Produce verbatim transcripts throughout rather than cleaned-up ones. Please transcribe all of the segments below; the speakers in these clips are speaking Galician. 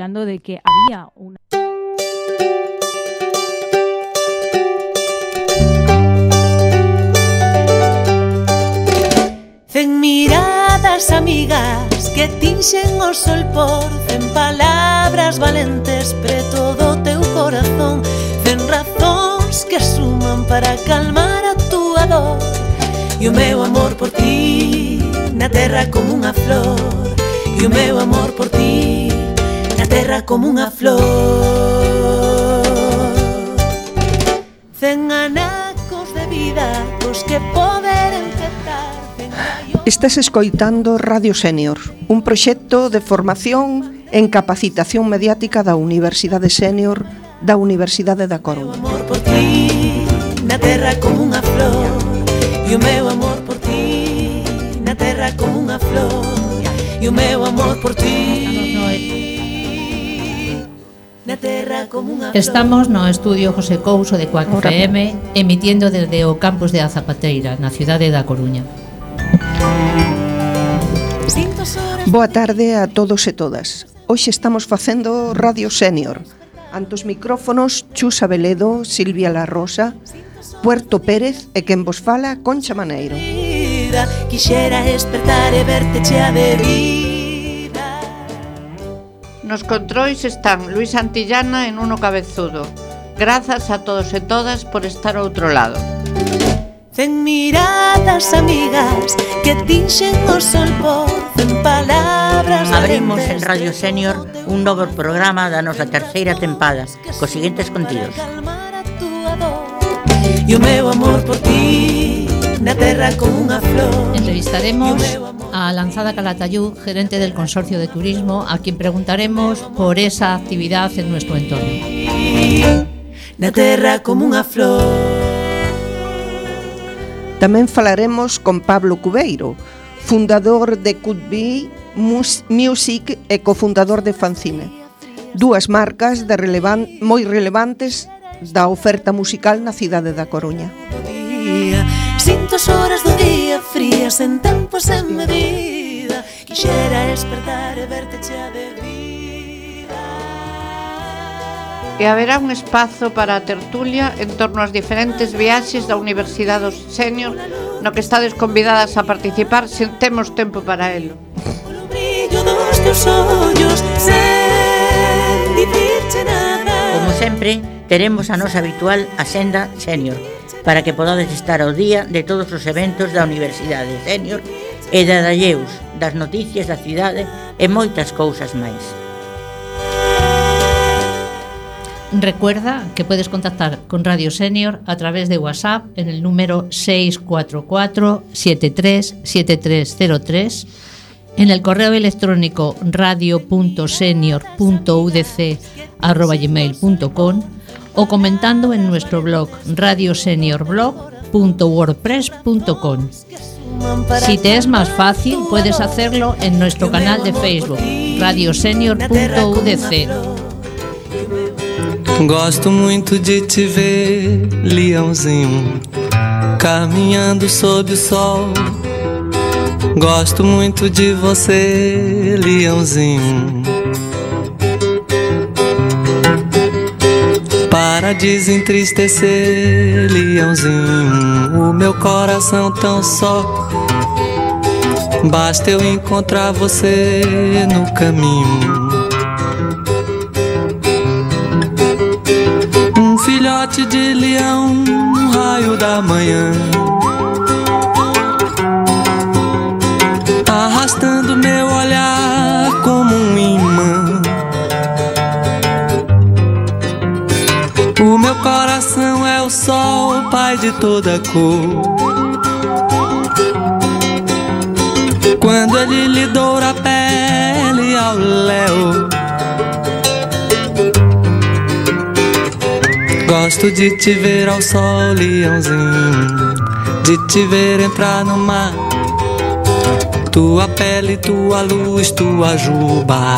hablando de que había una... Cen miradas amigas que tinxen o sol por cen palabras valentes preto do teu corazón, cen razóns que suman para calmar a túa dor. E o meu amor por ti na terra como unha flor, e o meu amor por ti na terra como unha flor. Cen anacos de vida cos que poder empezar. Estás escoitando Radio Sénior, un proxecto de formación en capacitación mediática da Universidade Sénior da Universidade da Coruña. O meu amor por ti na terra como unha flor, e o meu amor por ti na terra como unha flor, e o meu amor por ti na terra como unha flor. Estamos no estudio José Couso de Cuac F M, emitiendo desde o campus de A Zapateira, na cidade da Coruña. Boa tarde a todos e todas. Hoxe estamos facendo Radio Sénior. Ante os micrófonos, Chus Abeledo, Silvia La Rosa, Puerto Pérez e quen vos fala, Concha Maneiro. Quixera despertar e verte chea de vida. Nos controis están Luis Antillana e Nuno Cabezudo. Grazas a todos e todas por estar ao outro lado. Cen miradas amigas que tinxen o sol por cen palabras. Abrimos en Radio Sénior un novo programa da nosa terceira tempada cos seguintes contidos. E o meu amor por ti na terra como unha flor. Entrevistaremos a Lanzada Calatayud, gerente del Consorcio de Turismo, a quien preguntaremos por esa actividad en nuestro entorno. Na terra como unha flor. Tamén falaremos con Pablo Cubeiro, fundador de Could Be Music e cofundador de Fanzine, dúas marcas de relevan- moi relevantes da oferta musical na cidade da Coruña. Sinto as horas do día frías en tempo sen medida. Quixera despertar e verte chea de vida. E haberá un espazo para a tertulia en torno ás diferentes viaxes da Universidade dos Sénior, no que estades convidadas a participar se temos tempo para elo. Polo brillo dos teus ollos, sen dicirche nada. Como sempre, teremos a nosa habitual Axenda Sénior, para que podades estar ao día de todos os eventos da Universidade Sénior e da Dalleus, das noticias da cidade e moitas cousas máis. Recuerda que puedes contactar con Radio Sénior a través de WhatsApp en el número seis cuatro cuatro siete tres siete tres cero tres, en el correo electrónico radio punto senior punto u d c arroba gmail punto com o comentando en nuestro blog radioseniorblog punto wordpress punto com. Si te es más fácil, puedes hacerlo en nuestro canal de Facebook, radiosenior punto u d c. Gosto muito de te ver, leãozinho, caminhando sob o sol. Gosto muito de você, leãozinho. Para desentristecer, leãozinho, o meu coração tão só. Basta eu encontrar você no caminho. Filhote de leão, um raio da manhã, arrastando meu olhar como um imã. O meu coração é o sol, pai de toda cor. Quando ele lhe doura a pele ao léu, gosto de te ver ao sol, leãozinho, de te ver entrar no mar. Tua pele, tua luz, tua juba.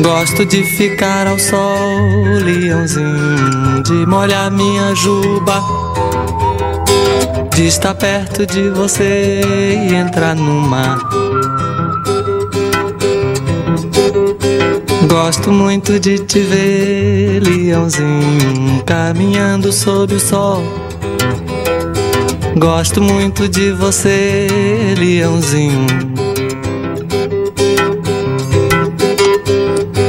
Gosto de ficar ao sol, leãozinho, de molhar minha juba, de estar perto de você e entrar no mar. Gosto muito de te ver, leãozinho, caminhando sob o sol. Gosto muito de você, leãozinho.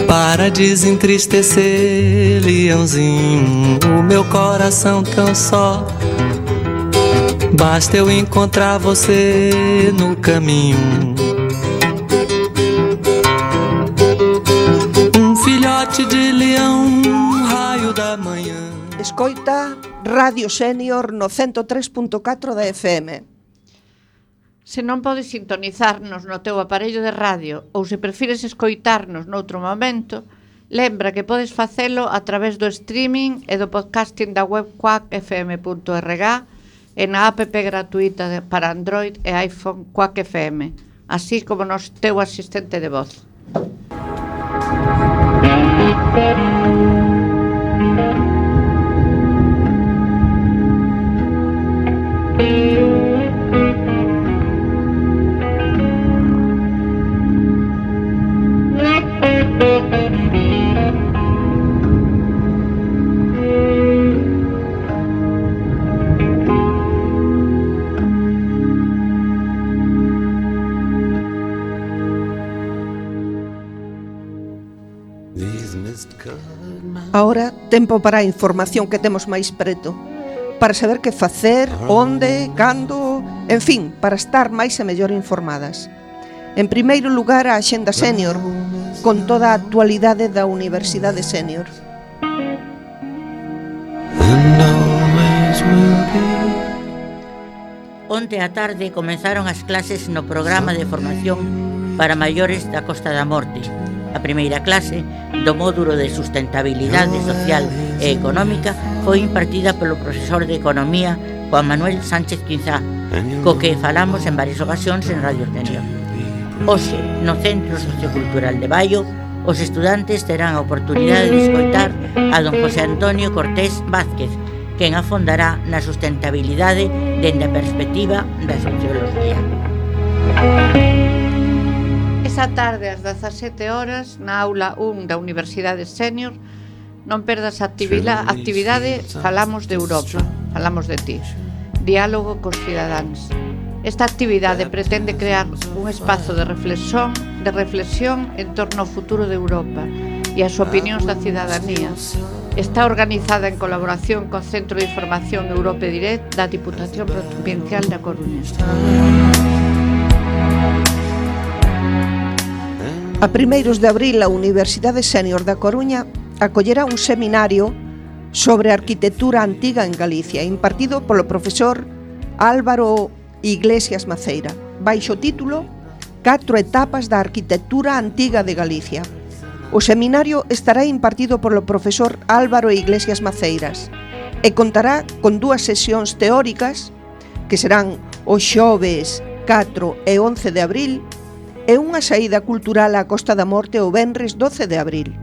Para desentristecer, leãozinho, o meu coração tão só. Basta eu encontrar você no caminho. Um filhote de leão, raio da manhã. Escoita Radio Senior no ciento tres punto catro da F M. Se non podes sintonizarnos no teu aparello de radio ou se prefires escoitarnos noutro momento, lembra que podes facelo a través do streaming e do podcasting da web quack f m punto r g e na app gratuita para Android e iPhone Quack F M, así como no teu asistente de voz. Ahora, tempo para a información que temos máis preto, para saber que facer, onde, cando, en fin, para estar máis e mellor informadas. En primeiro lugar, a Axenda Senior, con toda a actualidade da Universidade Senior. Onte á tarde comenzaron as clases no programa de formación para maiores da Costa da Morte. A primeira clase do módulo de sustentabilidade social e económica foi impartida polo profesor de Economía Juan Manuel Sánchez Quinzá, co que falamos en varias ocasións en Radio Senior. Hoxe, no Centro Sociocultural de Baio, os estudantes terán a oportunidade de escoitar a don José Antonio Cortés Vázquez, quen afondará na sustentabilidade dende a perspectiva da socioloxía. Esa tarde ás dezasete horas na aula un da Universidade Senior non perdas a actividade Falamos de Europa, falamos de ti, diálogo cos cidadáns. Esta actividade pretende crear un espazo de reflexión, de reflexión en torno ao futuro de Europa e as opinións da cidadanía. Está organizada en colaboración co Centro de Información Europe Direct da Diputación Provincial da Coruña. A primeiros de abril, a Universidade Senior da Coruña acollerá un seminario sobre arquitectura antiga en Galicia, impartido polo profesor Álvaro Iglesias Maceira, baixo título Catro etapas da arquitectura antiga de Galicia. O seminario estará impartido polo profesor Álvaro Iglesias Maceiras e contará con dúas sesións teóricas que serán os xoves catro e once de abril e unha saída cultural á Costa da Morte o venres doce de abril.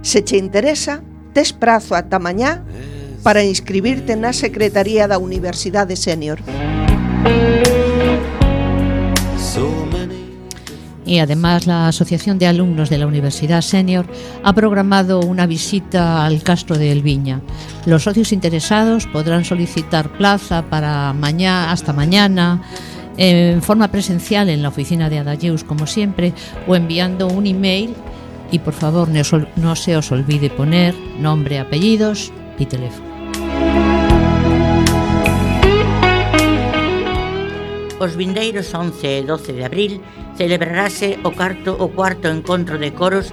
Se che interesa, tes prazo ata mañá para inscribirte na Secretaría da Universidade Senior. Y además la Asociación de Alumnos de la Universidad Senior ha programado una visita al Castro de Elviña. Los socios interesados podrán solicitar plaza para mañana, hasta mañana, en forma presencial en la oficina de Adalleus, como siempre, o enviando un email. Y por favor, no, no se os olvide poner nombre, apellidos y teléfono. Os vindeiros once e doce de abril celebrarase o cuarto, o cuarto encontro de coros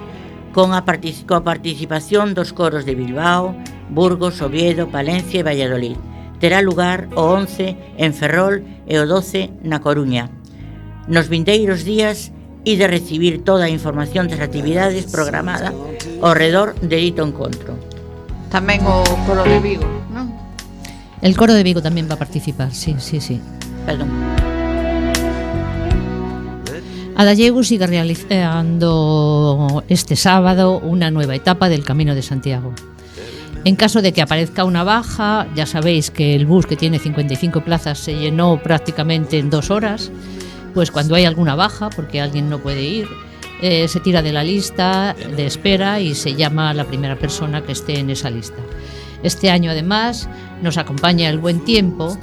con a, partic- coa participación dos coros de Bilbao, Burgos, Oviedo, Palencia e Valladolid. Terá lugar o once en Ferrol e o doce na Coruña. Nos vindeiros días ide recibir toda a información das actividades programada ao redor de dito encontro. Tamén o coro de Vigo, non? El coro de Vigo tamén va a participar, sí, sí, sí. Perdón. Adalleus sigue realizando este sábado una nueva etapa del Camino de Santiago. En caso de que aparezca una baja, ya sabéis que el bus, que tiene cincuenta y cinco plazas, se llenó prácticamente en dos horas. Pues cuando hay alguna baja, porque alguien no puede ir, eh, se tira de la lista de espera y se llama a la primera persona que esté en esa lista. Este año, además, nos acompaña el buen tiempo,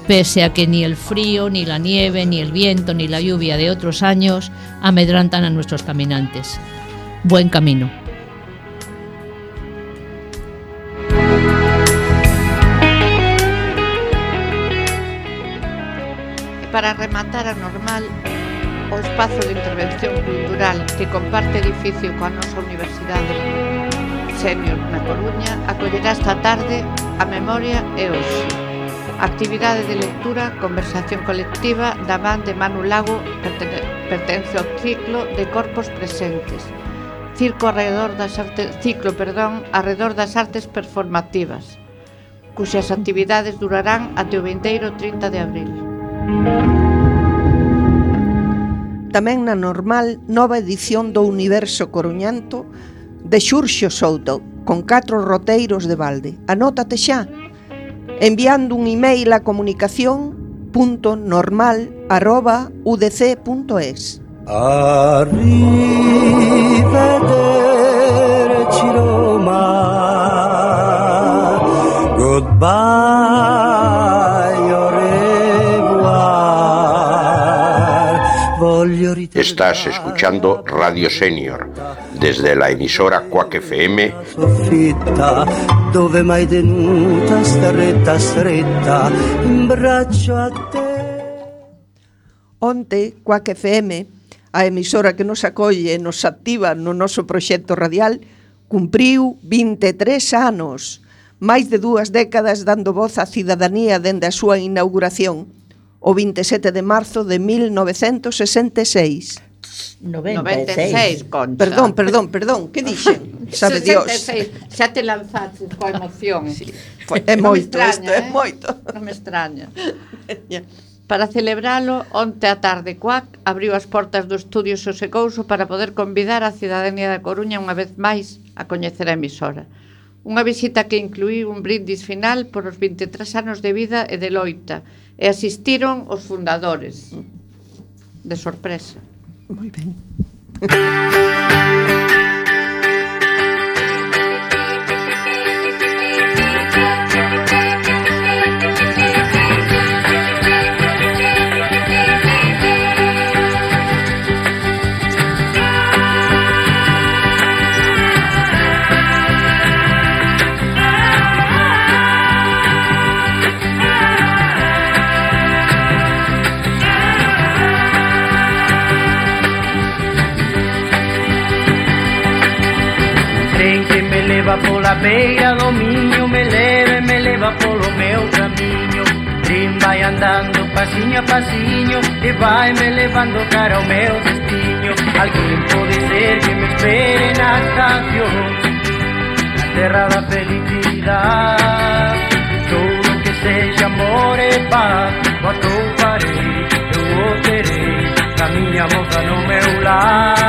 pese a que ni el frío, ni la nieve, ni el viento, ni la lluvia de otros años amedrantan a nuestros caminantes. Buen camino. Para rematar a Normal, o espazo de intervención cultural que comparte edificio coa nosa Universidade Senior na Coruña, acollerá esta tarde a memoria e hoxe. Actividade de lectura, conversación colectiva da man de Manu Lago, pertence ao ciclo de corpos presentes. Circo alrededor das artes, ciclo, perdón, alrededor das artes performativas, cuxas actividades durarán até o vindeiro trinta de abril. Tamén na Normal, nova edición do Universo Coruñento de Xurxo Souto, con catro roteiros de balde. Anótate xa, enviando un email a comunicación punto normal arroba u d c punto es. Arrivederci Roma, goodbye, au revoir. Estás escuchando Radio Senior desde la emisora Quack F M. Soffitta, dove mai tenuta stretta stretta in braccio a te. Onte, Quack F M, a emisora que nos acolle e nos activa no noso proxecto radial, cumpriu vinte e tres anos, máis de dúas décadas dando voz á cidadanía dende a súa inauguración, o vinte e sete de marzo de mil novecentos sesenta e seis. noventa e seis, Concha. Perdón, perdón, perdón, que dixen? Sabe Dios. sesenta e seis, xa te lanzaste coa emoción. Sí, foi, é Non me moito, extraña, isto é eh? moito. Non me extraña. Para celebralo, onte a tarde Quack abriu as portas do estudio Xosé Couso para poder convidar a cidadanía da Coruña unha vez máis a coñecer a emisora. Unha visita que incluíu un brindis final por os vinte e tres anos de vida e de loita, e asistiron os fundadores. De sorpresa. Moi ben. leva pola beira do miño, me leva e me leva polo meu camiño. Trin vai andando pasiño a pasiño e vai me levando cara ao meu destino. Alguén pode ser que me espere na estación, na terra da felicidade. Todo que sexa amor e paz, o atoparei, eu o terei, a miña moza no meu lar.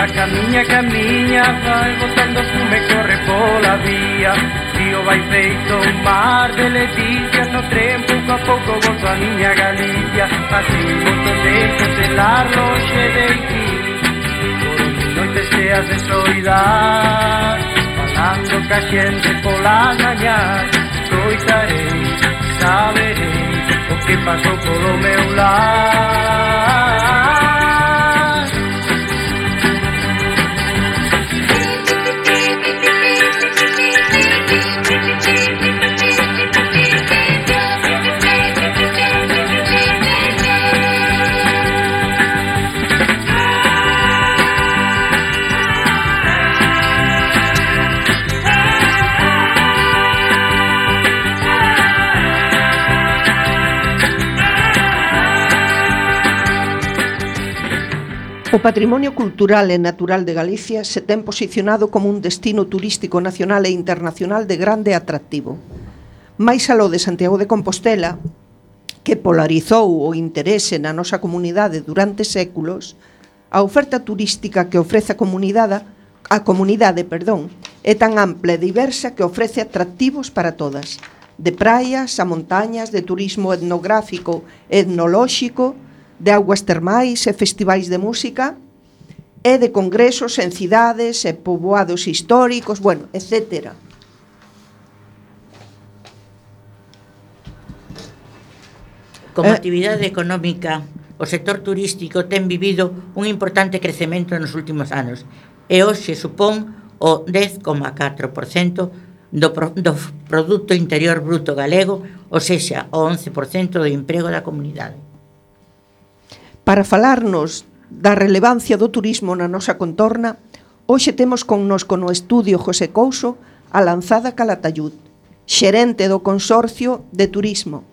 Camiña, camiña, vai botando fume, corre pola vía. Río vai feito un mar de leticias, no tren pouco a pouco volto a miña Galicia. Así moito tempo celar lonxe de ti, por noites cheas de soidade, falando ca xente polas mañás. Coitarei, saberei o que pasou polo meu lar. O patrimonio cultural e natural de Galicia se ten posicionado como un destino turístico nacional e internacional de grande atractivo. Mais aló de Santiago de Compostela, que polarizou o interese na nosa comunidade durante séculos, a oferta turística que ofrece a comunidade, a comunidade, perdón, É tan ampla e diversa que ofrece atractivos para todas, de praias a montañas, de turismo etnográfico e etnolóxico, de augas termais e festivais de música, e de congresos en cidades e poboados históricos, bueno, etcétera. Como Eh, actividade económica, o sector turístico ten vivido un importante crecemento nos últimos anos e hoxe supón o dez coma catro por cento do, pro, do Produto Interior Bruto galego, ou sexa, o once por cento do emprego da comunidade. Para falarnos da relevancia do turismo na nosa contorna, hoxe temos connosco no estudio José Couso a Lanzada Calatayud, xerente do Consorcio de Turismo.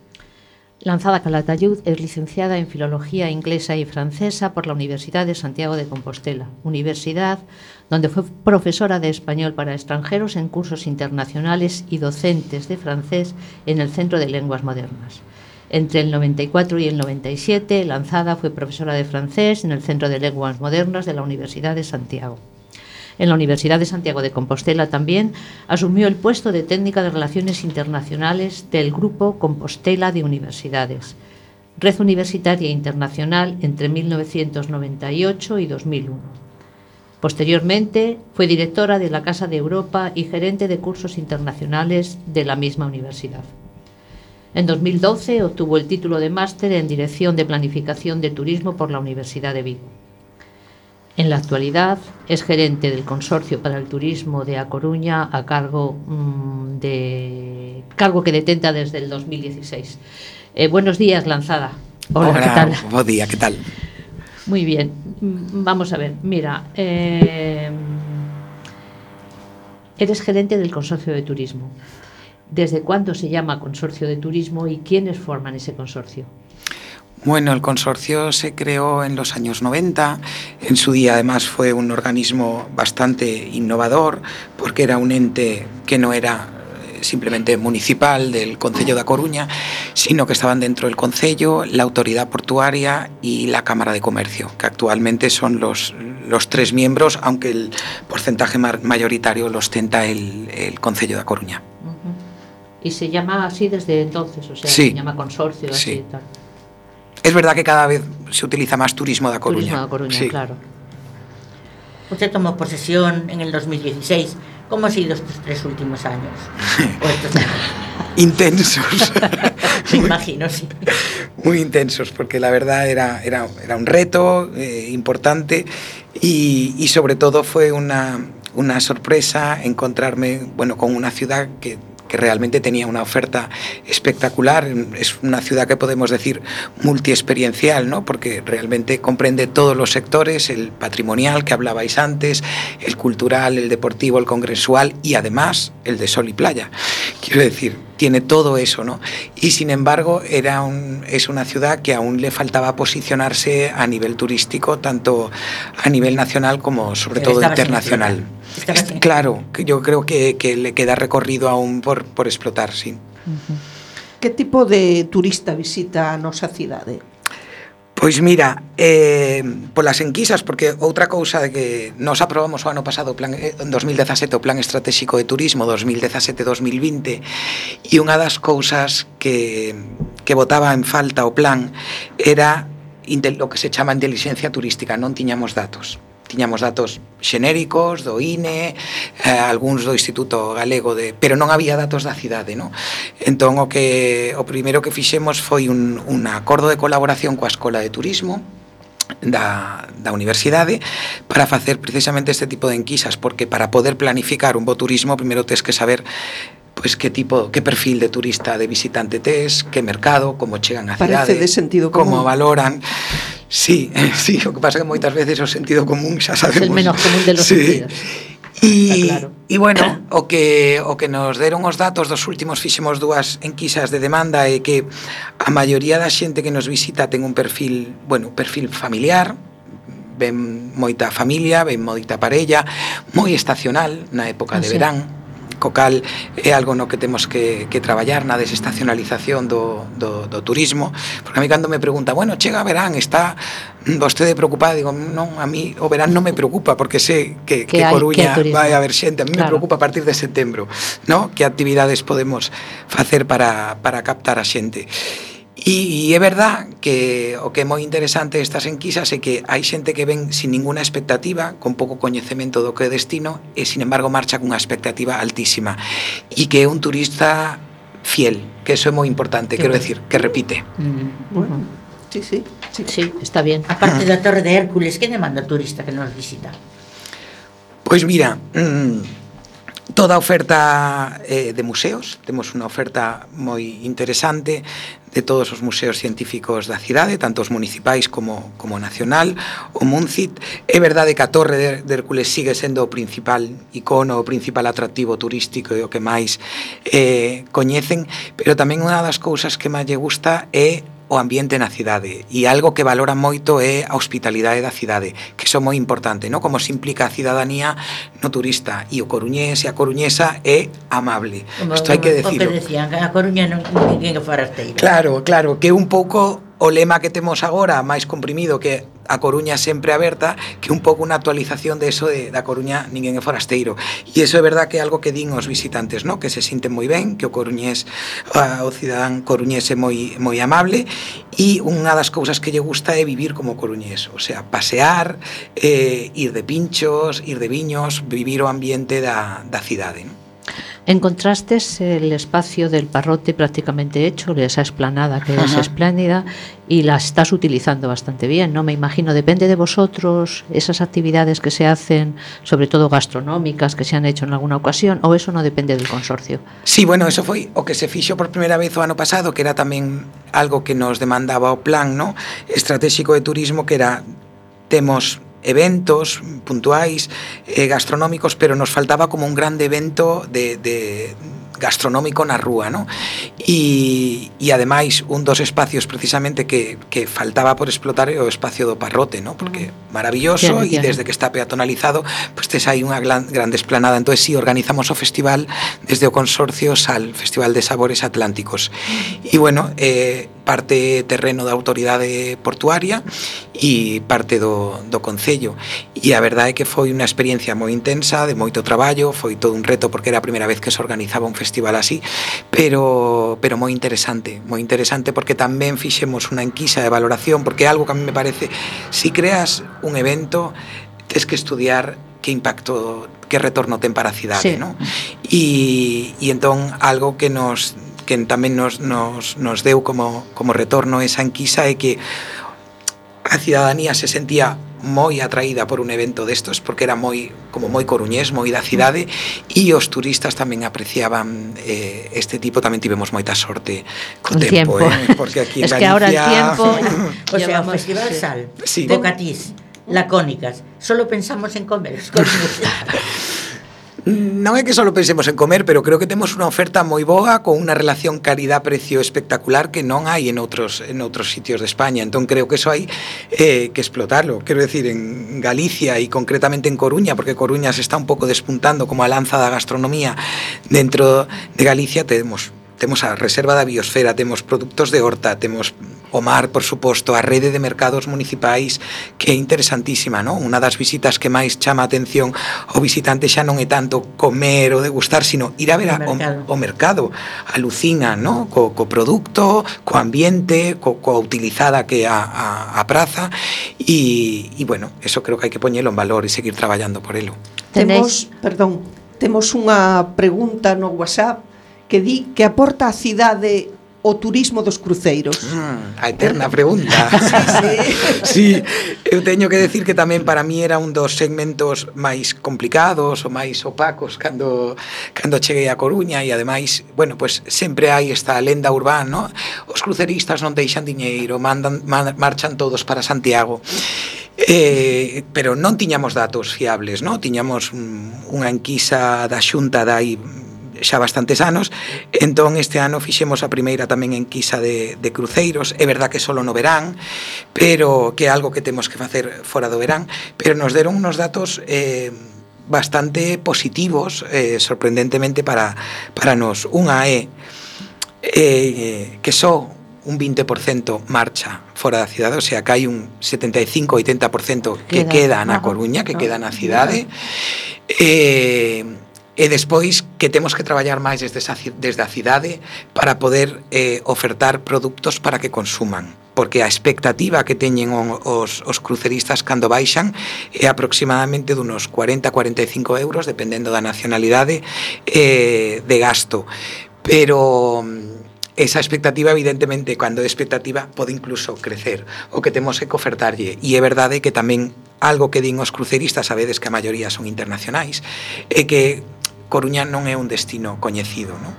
Lanzada Calatayud es licenciada en Filología Inglesa y Francesa por la Universidad de Santiago de Compostela, universidad donde fue profesora de español para extranjeros en cursos internacionales y docentes de francés en el Centro de Lenguas Modernas. Entre el noventa y cuatro y el noventa y siete, Lanzada fue profesora de francés en el Centro de Lenguas Modernas de la Universidad de Santiago. En la Universidad de Santiago de Compostela también asumió el puesto de técnica de Relaciones Internacionales del Grupo Compostela de Universidades, Red Universitaria Internacional entre mil novecientos noventa y ocho y dos mil uno. Posteriormente fue directora de la Casa de Europa y gerente de cursos internacionales de la misma universidad. En dos mil doce obtuvo el título de máster en Dirección de Planificación de Turismo por la Universidad de Vigo. En la actualidad es gerente del Consorcio para el Turismo de A Coruña a cargo mmm, de cargo que detenta desde el dos mil dieciséis. Eh, buenos días, Lanzada. Hola, Hola, ¿qué tal? Buen día, ¿qué tal? Muy bien. Vamos a ver, mira, eh, eres gerente del Consorcio de Turismo. ¿Desde cuándo se llama Consorcio de Turismo y quiénes forman ese consorcio? Bueno, el consorcio se creó en los años noventa. En su día, además, fue un organismo bastante innovador porque era un ente que no era simplemente municipal del Concello da Coruña, sino que estaban dentro del Concello, la Autoridad Portuaria y la Cámara de Comercio, que actualmente son los, los tres miembros, aunque el porcentaje mayoritario lo ostenta el, el Concello da Coruña. Uh-huh. Y se llama así desde entonces, o sea, sí. se llama consorcio, así sí. y tal. Es verdad que cada vez se utiliza más Turismo da Coruña. Turismo da Coruña, sí. claro. Usted tomó posesión en el dos mil dieciséis. ¿Cómo han sido estos tres últimos años? ¿O estos años? Intensos. Me imagino, sí. Muy intensos, porque la verdad era, era, era un reto eh, importante y, y sobre todo fue una, una sorpresa encontrarme, bueno, con una ciudad que que realmente tenía una oferta espectacular. Es una ciudad que podemos decir multiexperiencial, ¿no? Porque realmente comprende todos los sectores, el patrimonial que hablabais antes, el cultural, el deportivo, el congresual y además el de sol y playa. Quiero decir, tiene todo eso, ¿no? Y sin embargo era un, es una ciudad que aún le faltaba posicionarse a nivel turístico, tanto a nivel nacional como sobre todo internacional. Claro, que yo creo que, que le queda recorrido aún por, por explotar, sí. Uh-huh. Que tipo de turista visita a nosa cidade? Pois mira, eh, polas enquisas, porque outra cousa de que nos aprobamos o ano pasado, plan, en dos mil dezasete, o Plan Estratégico de Turismo dos mil dezasete a dos mil vinte, e unha das cousas que, que botaba en falta o plan era o que se chama inteligencia turística, non tiñamos datos. Tiñamos datos xenéricos do I N E, eh, algúns do Instituto Galego de, pero non había datos da cidade, non? Entón o que o primeiro que fixemos foi un, un acordo de colaboración coa Escola de Turismo da, da universidade para facer precisamente este tipo de enquisas, porque para poder planificar un bo turismo primeiro tes que saber pois que tipo, que perfil de turista, de visitante tes, que mercado, como chegan á cidade, parece de sentido común, como valoran. Sí, sí, o que pasa que moitas veces o sentido común xa sabemos. Es el menos común de los sí. sentidos. E, claro. e bueno, o que o que nos deron os datos dos últimos, fixemos dúas enquisas de demanda, é que a maioría da xente que nos visita ten un perfil, bueno, perfil familiar, ven moita familia, ven moita parella, moi estacional na época ah, de sí. verán, co cal é algo no que temos que, que traballar na desestacionalización do, do, do turismo, porque a mí cando me pregunta, bueno, chega verán, está vostede preocupada, digo, non, a mí o verán non me preocupa, porque sei que, que, que Coruña que vai haber xente, a mí claro. me preocupa a partir de setembro, ¿no? Que actividades podemos facer para, para captar a xente. E, e é verdad que o que é moi interesante destas enquisas é que hai xente que ven sin ninguna expectativa, con pouco coñecemento do que é destino, e sin embargo marcha cunha expectativa altísima, e que é un turista fiel, que eso é moi importante, quero decir, que repite. Mm, bueno, sí, sí, sí, sí, está bien. Aparte da Torre de Hércules, que demanda o turista que nos visita? Pois mira, mmm, toda a oferta eh, de museos, temos unha oferta moi interesante de todos os museos científicos da cidade, tanto os municipais como, como nacional, o Muncit. É verdade que a Torre de, de Hércules sigue sendo o principal icono, o principal atractivo turístico e o que máis eh, coñecen, pero tamén unha das cousas que máis lle gusta é o ambiente na cidade, e algo que valora moito é a hospitalidade da cidade, que iso é moi importante, ¿no? Como se implica a cidadanía no turista, e o coruñés e a coruñesa é amable. Isto hai que decirlo. O que decían, a Coruña non ninguén é forasteiro. Claro, claro, que un pouco o lema que temos agora, máis comprimido, que a Coruña sempre aberta, que un pouco unha actualización de eso de da Coruña ninguén é forasteiro. E iso é verdad que é algo que din os visitantes, ¿no? Que se sinten moi ben, que o coruñés, o cidadán coruñés é moi moi amable, e unha das cousas que lle gusta é vivir como coruñés, o sea, pasear, eh, ir de pinchos, ir de viños, vivir o ambiente da, da cidade, ¿no? Encontrastes el espacio del Parrote prácticamente hecho, esa explanada que es espléndida, y la estás utilizando bastante bien, ¿no? Me imagino, depende de vosotros esas actividades que se hacen, sobre todo gastronómicas, que se han hecho en alguna ocasión, o eso no depende del consorcio. Sí, bueno, eso foi o que se fixo por primeira vez o ano pasado, que era tamén algo que nos demandaba o plan, ¿no? Estratégico de turismo, que era, temos eventos puntuais eh, gastronómicos, pero nos faltaba como un grande evento de, de gastronómico na rúa, ¿no? E, e ademais un dos espacios precisamente que, que faltaba por explotar é o espacio do Parrote, ¿no? Porque maravilloso, e desde que está peatonalizado, pues tes aí unha gran, grande esplanada. Entón, si sí, organizamos o festival desde o Consorcio Sal, Festival de Sabores Atlánticos. E bueno, eh, parte terreno da autoridade portuaria e parte do, do Concello. E a verdade é que foi unha experiencia moi intensa, de moito traballo, foi todo un reto porque era a primeira vez que se organizaba un festival así, pero, pero moi interesante, moi interesante porque tamén fixemos unha enquisa de valoración, porque é algo que a mí me parece, si creas un evento, tes que estudiar que impacto, que retorno ten para a cidade, sí. ¿No? E, e entón, algo que nos que tamén nos, nos, nos deu como, como retorno esa enquisa é que a cidadanía se sentía moi atraída por un evento destos, porque era moi como moi coruñés, moi da cidade, e os turistas tamén apreciaban eh, este tipo. Tamén tivemos moita sorte co tempo, tempo. Eh, porque aquí en es Galicia... que ahora el tiempo... o sea, o Festival Sal, sí. de Catís, lacónicas, solo pensamos en comer. Non é que só pensemos en comer, pero creo que temos unha oferta moi boa, con unha relación calidad-precio espectacular que non hai en outros en outros sitios de España. Entón creo que eso hai eh, que explotarlo. Quero decir, en Galicia e concretamente en Coruña, porque Coruña se está un pouco despuntando como a lanza da gastronomía dentro de Galicia, temos temos a reserva da biosfera, temos produtos de horta, temos o mar, por suposto, a rede de mercados municipais, que é interesantísima, ¿no? Unha das visitas que máis chama a atención o visitante xa non é tanto comer ou degustar, sino ir a ver a, o, o mercado. Alucina, ¿no? Co, co produto, co ambiente, co, co utilizada que é a, a, a praza, e, e, bueno, eso creo que hai que poñelo en valor e seguir traballando por elo. Temos, perdón, temos unha pregunta no WhatsApp que di que aporta a cidade o turismo dos cruceiros. Mm, a eterna pregunta. Sí, sí. Sí, eu teño que decir que tamén para mí era un dos segmentos máis complicados ou máis opacos cando cando cheguei a Coruña, e ademais, bueno, pues sempre hai esta lenda urbana, ¿no? Os cruceristas non deixan diñeiro, mandan man, marchan todos para Santiago. Eh, pero non tiñamos datos fiables, ¿no? Tiñamos mm, unha enquisa da Xunta dai xa bastantes anos, entón este ano fixemos a primeira tamén enquisa de, de cruceiros. É verdad que solo no verán, pero que é algo que temos que facer fora do verán, pero nos deron unos datos eh, bastante positivos, eh, sorprendentemente para, para nos. Unha é eh, que só un vinte por cento marcha fora da cidade, o sea, que hai un setenta e cinco a oitenta por cento que queda, queda na Coruña, que queda na cidade. Eh, e despois que temos que traballar máis desde, esa, desde a cidade para poder eh, ofertar produtos para que consuman, porque a expectativa que teñen os, os cruceristas cando baixan é aproximadamente dunos cuarenta a cuarenta e cinco euros, dependendo da nacionalidade, eh, de gasto. Pero esa expectativa, evidentemente, cando é expectativa, pode incluso crecer. O que temos é que ofertarlle. E é verdade que tamén algo que din os cruceristas, sabedes que a maioría son internacionais, é que Coruña non é un destino coñecido, non?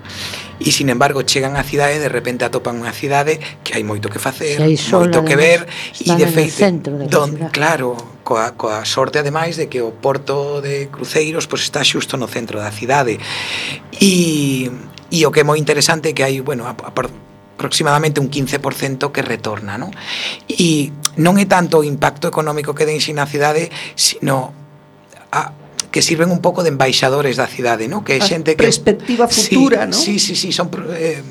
E, sin embargo, chegan á cidade e de repente atopan unha cidade que hai moito que facer, moito que ver, e de feito, don, claro, coa, coa sorte, ademais, de que o porto de cruceiros pois, está xusto no centro da cidade. E, e o que é moi interesante é que hai, bueno, a, a, aproximadamente un quince por cento que retorna, non? E non é tanto o impacto económico que deixen na cidade, sino a que sirven un pouco de embaixadores da cidade, ¿no? Que é xente que perspectiva futura, sí, ¿no? Sí, sí, sí, son eh,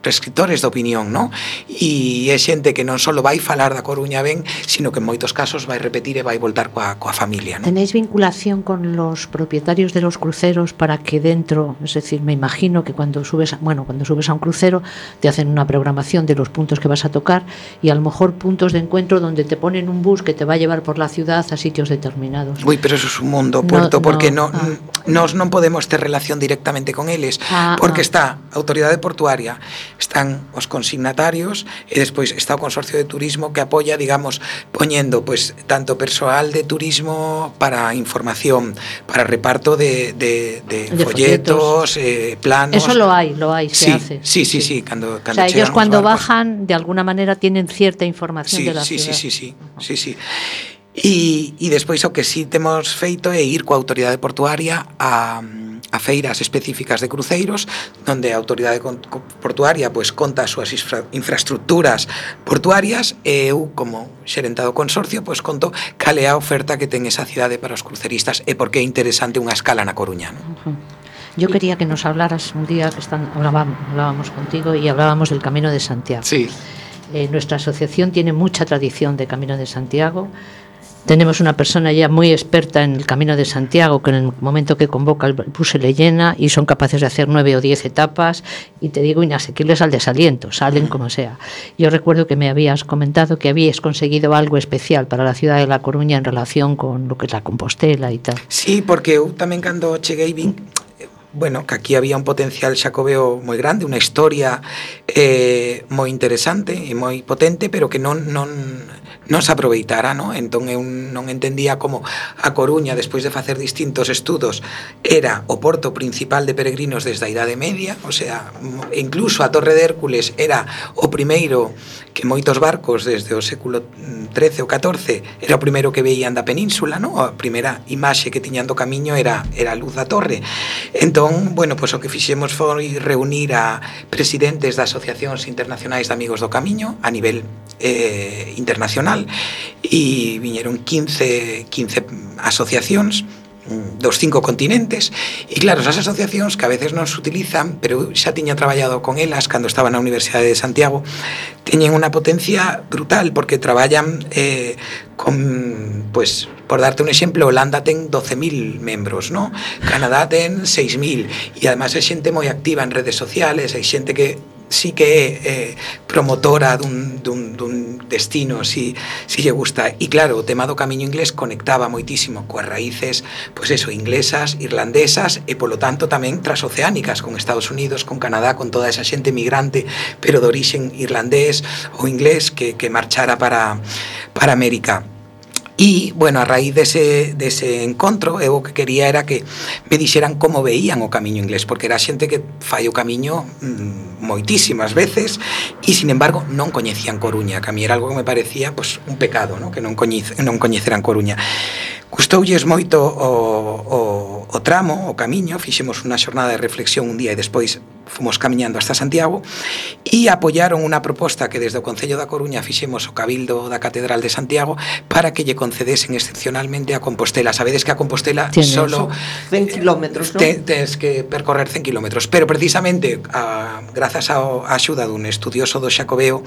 prescriptores de opinión, ¿no? E é xente que non só vai falar da Coruña ben, sino que en moitos casos vai repetir e vai voltar coa, coa familia, ¿no? ¿Tenéis vinculación con los propietarios de los cruceros para que dentro, es decir, me imagino que cuando subes, bueno, cuando subes a un crucero te hacen una programación de los puntos que vas a tocar y a lo mejor puntos de encuentro donde te ponen un bus que te va a llevar por la ciudad a sitios determinados? Uy, pero eso es un mundo, Puerto, no, porque no, no, ah. nos non podemos ter relación directamente con eles, ah, porque ah. está a autoridade portuaria, están os consignatarios e despois está o Consorcio de Turismo que apoia, digamos, poñendo pues, tanto persoal de turismo para información, para reparto de, de, de, de folletos, folletos. Eh, planos. Eso lo hay, lo hay, se sí, hace. Sí, sí, sí. sí cando, cando o sea, ellos cuando bajan, de alguna manera tienen cierta información sí, de la sí, ciudad. Sí, sí, sí, sí, sí. E, e despois o que sí temos feito é ir coa autoridade portuaria a, a feiras específicas de cruceiros, onde a autoridade portuaria pois, conta as súas infra, infraestructuras portuarias e eu, como xerentado consorcio, pois, conto cal é a oferta que ten esa cidade para os cruceristas e por que é interesante unha escala na Coruña, ¿no? Uh-huh. Yo quería que nos hablaras un día que están, hablábamos, hablábamos contigo y hablábamos del Camino de Santiago. Sí. Eh, nuestra asociación tiene mucha tradición de Camino de Santiago. Tenemos una persona ya muy experta en el Camino de Santiago que en el momento que convoca el bus se le llena y son capaces de hacer nueve o diez etapas y te digo inasequibles al desaliento, salen como sea. Yo recuerdo que me habías comentado que habías conseguido algo especial para la ciudad de La Coruña en relación con lo que es la Compostela y tal. Sí, porque eu tamén cando cheguei vin bueno, que aquí había un potencial xacobeo moi grande, unha historia eh, moi interesante e moi potente, pero que non, non, non se aproveitara, non? Entón eu non entendía como a Coruña, despois de facer distintos estudos, era o porto principal de peregrinos desde a Idade Media, o sea, incluso a Torre de Hércules era o primeiro que moitos barcos desde o século trece ou catorce era o primeiro que veían da península, non? A primeira imaxe que tiñan do camiño era, era a luz da torre. Entón, bueno, pois o que fixemos foi reunir a presidentes das asociacións internacionais de amigos do camiño a nivel eh, internacional e viñeron quince, quince asociacións dos cinco continentes e claro, esas asociacións que a veces non se utilizan, pero xa tiña traballado con elas cando estaba na Universidade de Santiago, teñen unha potencia brutal porque traballan eh, con, pues, por darte un exemplo, Holanda ten doce mil membros, ¿no? Canadá ten seis mil e además é xente moi activa en redes sociales, hai xente que sí que é eh, promotora dun, dun, dun destino si, si lle gusta e claro, o tema do camiño inglés conectaba moitísimo coas raíces pois eso, inglesas, irlandesas e polo tanto tamén transoceánicas con Estados Unidos, con Canadá, con toda esa xente migrante pero de orixen irlandés ou inglés que, que marchara para, para América. E, bueno, a raíz dese, dese encontro eu o que quería era que me dixeran como veían o camiño inglés porque era xente que fai o camiño mmm, moitísimas veces e, sin embargo, non coñecían Coruña que a mí era algo que me parecía pues, un pecado, ¿no? Que non, coñece, non coñeceran Coruña. Gustoulles moito o, o, o tramo, o camiño, fixemos unha xornada de reflexión un día e despois fomos camiñando hasta Santiago e apoyaron unha proposta que desde o Concello da Coruña fixemos o Cabildo da Catedral de Santiago para que lle concedesen excepcionalmente a Compostela. Sabedes que a Compostela solo cen kilómetros, non? Te, tens que percorrer cen kilómetros, pero precisamente a, grazas ao, a axuda dun estudioso do Xacobeo,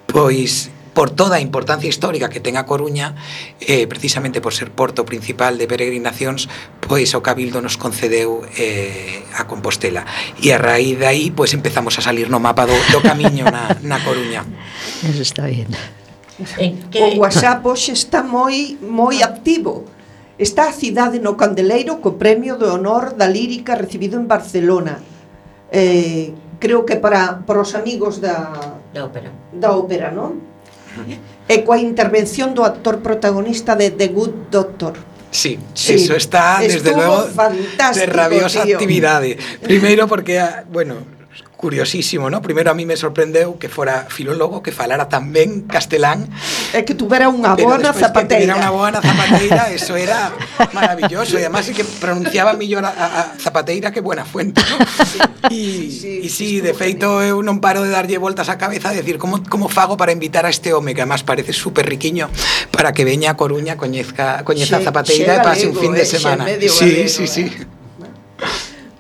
pois por toda a importancia histórica que ten a Coruña, eh, precisamente por ser porto principal de peregrinacións, pois o Cabildo nos concedeu eh, a Compostela. E a raíz de aí, pois empezamos a salir no mapa do, do camiño na, na Coruña. Eso está bien. O WhatsApp hoxe está moi moi activo. Está a cidade no candeleiro co premio de honor da lírica recibido en Barcelona. Eh, creo que para, para os amigos da, da ópera, da ópera, non? E coa intervención do actor protagonista de The Good Doctor. Sí, sí, eso está, desde luego, de rabiosa tío. actividade. Primeiro porque, bueno, curiosísimo, ¿no? Primeiro a mí me sorprendeu que fora filólogo, que falara tan ben castelán. É que tuvera unha boa na zapateira. Que tuvera unha boa na zapateira, eso era maravilloso. E además é que pronunciaba millor a, a Zapateira que Buenafuente, ¿no? E sí, sí, sí, de feito eu non paro de darlle voltas á cabeza a decir como, como fago para invitar a este home que además parece super riquiño para que veña a Coruña, coñezca, coñeza a Zapateira e pase un fin de semana. Sí, sí, sí.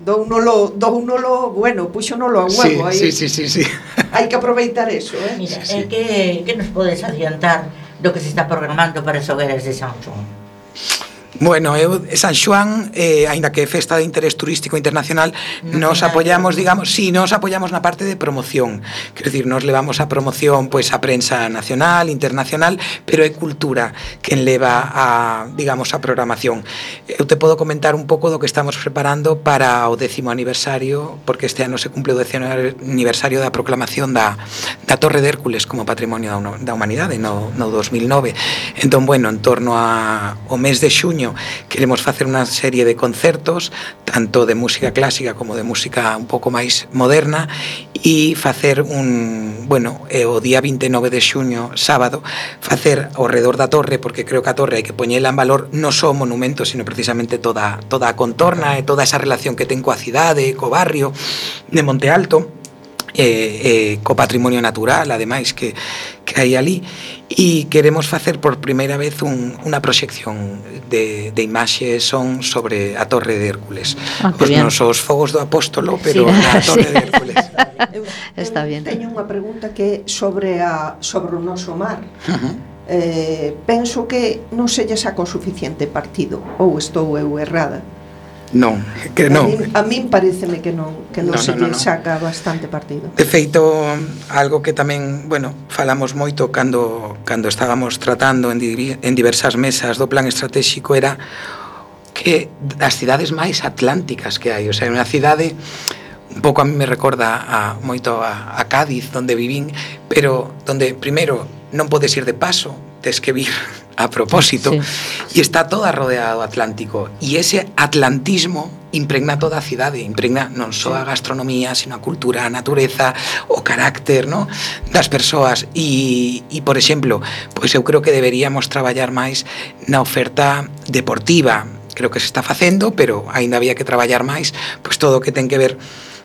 Dounolo, dounolo, bueno, puxonolo a huevo aí. Sí, sí, sí, sí, sí. Hai que aproveitar eso, eh. Mira, sí, sí. Eh, que, que nos podes adiantar do que se está programando para as hogueras de San Xoán? Bueno, eu, San Xoán, eh, aínda que é festa de interés turístico internacional, no nos apoyamos, digamos, sí, nos apoyamos na parte de promoción. Quer decir, nos levamos a promoción pois a prensa nacional, internacional, pero é cultura quen leva a, digamos, a programación. Eu te podo comentar un pouco do que estamos preparando para o décimo aniversario, porque este ano se cumple o décimo aniversario da proclamación da, da Torre de Hércules como Patrimonio da Humanidade no, no dos mil nove. Entón, bueno, en torno a, ao mes de xuño queremos facer unha serie de concertos, tanto de música clásica como de música un pouco máis moderna, e facer un, bueno, o día vinte e nove de xuño, sábado, facer ao redor da torre, porque creo que a torre hai que poñela en valor non só o monumento, sino precisamente toda, toda a contorna e toda esa relación que ten coa cidade, co barrio de Monte Alto, eh, eh, co patrimonio natural, ademais, que, que hai ali, e queremos facer por primeira vez un, unha proxección de, de imaxe son sobre a Torre de Hércules. Ah, os nosos fogos do Apóstolo, pero sí, na Torre sí. de Hércules. Eu, Está bien. Teño unha pregunta que sobre a sobre o noso mar. Uh-huh. Eh, penso que non se lle saca o suficiente partido, ou estou eu errada. Non, que non. A min, a min pareceme que non, que non, non se non, lle non. saca bastante partido. De feito, algo que tamén, bueno, falamos moito cando cando estábamos tratando en, di, en diversas mesas do plan estratégico era que das cidades máis atlánticas que hai, o sea, unha cidade un pouco a mí me recorda a moito a, a Cádiz, onde vivín, pero onde primeiro non podes ir de paso, tes que vir a propósito, sí. E está toda rodeada do Atlántico, e ese atlantismo impregna toda a cidade, impregna non só a gastronomía, sino a cultura, a natureza, o carácter, ¿no?, das persoas, e, e por exemplo, pois eu creo que deberíamos traballar máis na oferta deportiva. Creo que se está facendo, pero aínda había que traballar máis, pois todo o que ten que ver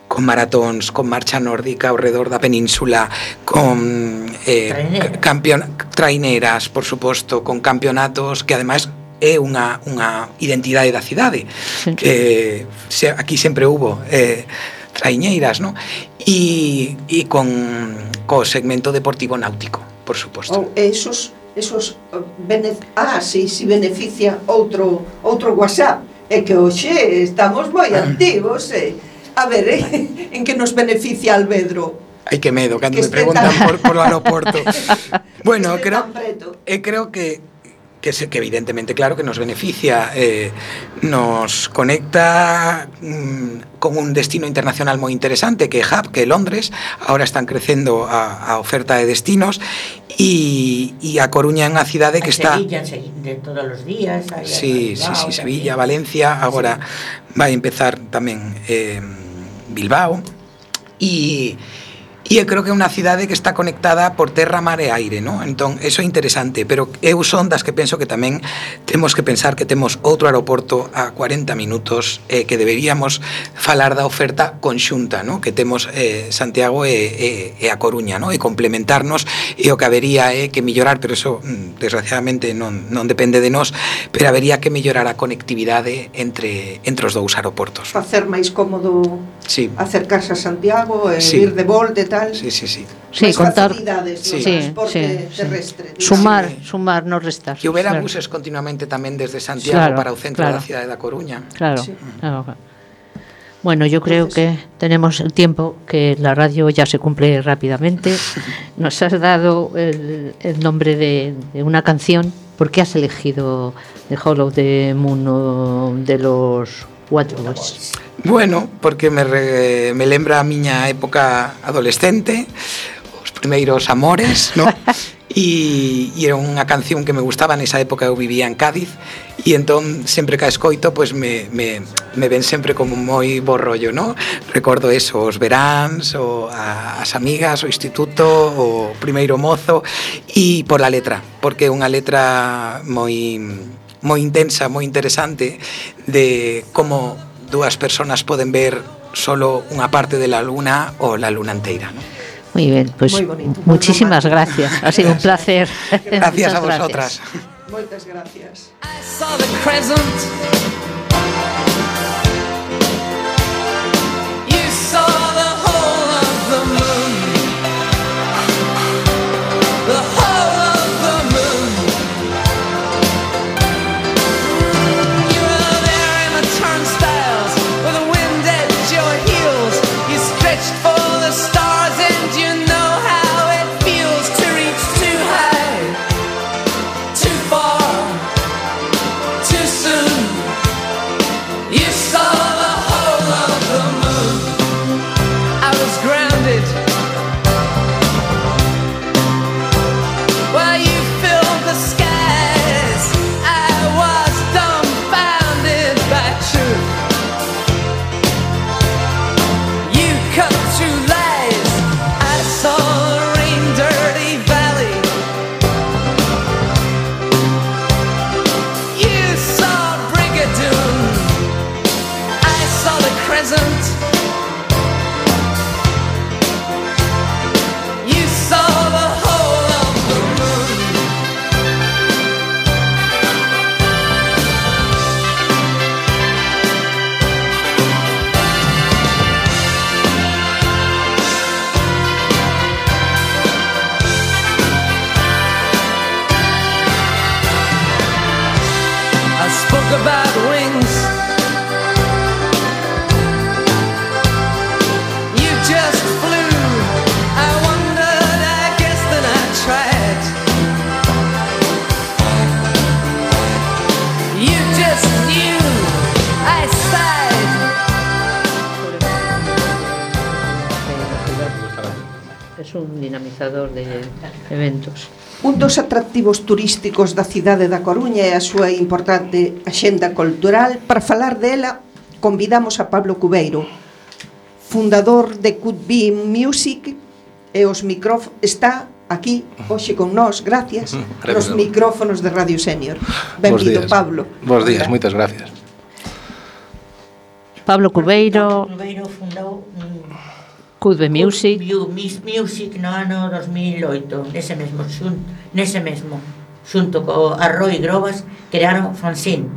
con maratóns, con marcha nórdica ao redor da península, con eh, Trainera. campeon traineras, por suposto, con campeonatos que ademais é unha, unha identidade da cidade, sí. Que se, aquí sempre hubo eh, traiñeiras, ¿no? E, e con co segmento deportivo náutico, por suposto. Oh, esos esos bene, ah, sí, si beneficia outro outro WhatsApp, é que hoxe estamos moi activos, eh. A ver, eh, en que nos beneficia Alvedro? Ai, que medo, cando que me preguntan tan... por, por o aeroporto. Bueno, creo, eh, creo que que, se, que evidentemente, claro, que nos beneficia, eh, nos conecta mm, con un destino internacional moi interesante, que é Hub, que é Londres. Ahora están crecendo a, a oferta de destinos, e, e a Coruña é unha cidade que está... Sevilla, de todos os días. Sí, sí, sí, Sevilla, Valencia, agora sí. Vai empezar tamén... Eh, Bilbao, e, e eu creo que é unha cidade que está conectada por terra, mar e aire, non? Entón, eso é interesante, pero eu son das que penso que tamén temos que pensar que temos outro aeroporto a cuarenta minutos, eh, que deberíamos falar da oferta conxunta, non? Que temos eh, Santiago e, e, e a Coruña, non? E complementarnos, e o que habería é que mellorar, pero eso desgraciadamente non, non depende de nós, pero habería que mellorar a conectividade entre, entre os dous aeroportos. Facer máis cómodo sí. acercarse a Santiago e sí. ir de volta e tal. Sí, sí, sí. Sí, máis contar facilidades sí, no sí, transporte sí, terrestre. Sí. Sumar, sí. sumar, no restar. Que houbera claro. buses continuamente tamén desde Santiago claro, para o centro claro. da cidade da Coruña. Claro, sí. claro. Bueno, yo creo que tenemos el tiempo, que la radio ya se cumple rápidamente. Nos has dado el, el nombre de, de una canción. ¿Por qué has elegido The Hollow the Moon de los Waterboys? Bueno, porque me, re, me lembra a miña época adolescente, os primeiros amores, ¿no? E, e era unha canción que me gustaba. Nesa época eu vivía en Cádiz, e entón sempre que a escoito pois me, me, me ven sempre como moi bo rollo, ¿no? Recordo eso, os veráns, o a, as amigas, o instituto, o primeiro mozo, e por a letra, porque é unha letra moi, moi intensa, moi interesante, de como dúas personas poden ver solo unha parte de la luna ou la luna inteira, ¿no? Muy bien, pues muy bonito, muy muchísimas romántico. gracias. Ha sido un placer. Gracias a vosotras. Muchas gracias. I saw the crescent. You saw the whole of the moon. The whole of the moon. You were there in the turnstiles with the wind at your heels. You stretched for the stars and you know how it feels to reach too high, too far, too soon. You saw the whole of the moon. I was grounded while you filled the skies. I was dumbfounded by truth. You cut through lies. I saw the rain-dirty valley. You saw Brigadoon. I saw the crescent. You saw the whole of the moon. I spoke about wings. You just flew. I wondered, I guess that I tried. You just knew. I sighed. Es un dinamizador de eventos. Un dos atractivos turísticos da cidade da Coruña é a súa importante axenda cultural. Para falar dela, convidamos a Pablo Cubeiro, fundador de Could Be Music, e os micrófonos está aquí hoxe con nós, gracias, nos micrófonos de Radio Senior. Benvido, Pablo. Bos días, moitas gracias. Pablo Cubeiro, Pablo Cubeiro fundou um, Could Be Music. Miss Music no ano dos mil oito, nese mesmo, xun, nese mesmo, xunto co Arroy Grobas, crearon Fanzine,